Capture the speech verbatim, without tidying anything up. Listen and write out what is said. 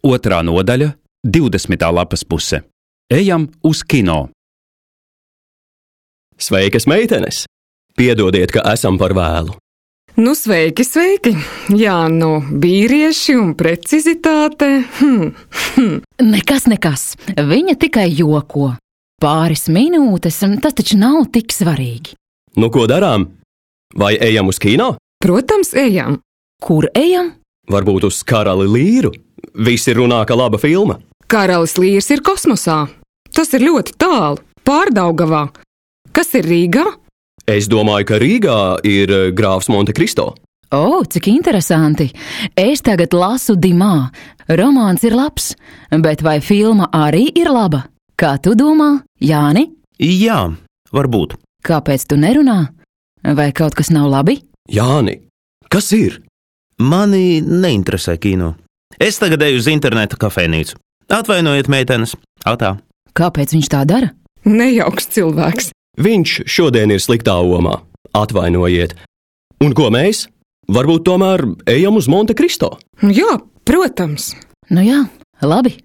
Otrā nodaļa, divdesmitā lapas puse. Ejam uz kino. Sveikas, meitenes! Piedodiet, ka esam par vēlu. Nu, sveiki, sveiki! Jā, nu, vīrieši un precizitāte. Hm, hm. Nekas, nekas. Viņa tikai joko. Pāris minūtes, tas taču nav tik svarīgi. Nu, ko darām? Vai ejam uz kino? Protams, ejam. Kur ejam? Varbūt uz Karali Līru? Visi runā, ka laba filma. Karalis Līrs ir kosmosā. Tas ir ļoti tālu, Pārdaugavā. Kas ir Rīgā? Es domāju, ka Rīgā ir grāfs Monte Cristo. O, cik interesanti. Es tagad lasu Dimā. Romāns ir labs, bet vai filma arī ir laba? Kā tu domā, Jāni? Jā, varbūt. Kāpēc tu nerunā? Vai kaut kas nav labi? Jāni, kas ir? Mani neinteresē kino. Es tagad eju uz interneta kafejnīcu. Atvainojiet, meitenes. Atā. Kāpēc viņš tā dara? Nejauks cilvēks. Viņš šodien ir sliktā omā. Atvainojiet. Un ko mēs? Varbūt tomēr ejam uz Monte Cristo? Jā, protams. Nu jā, labi.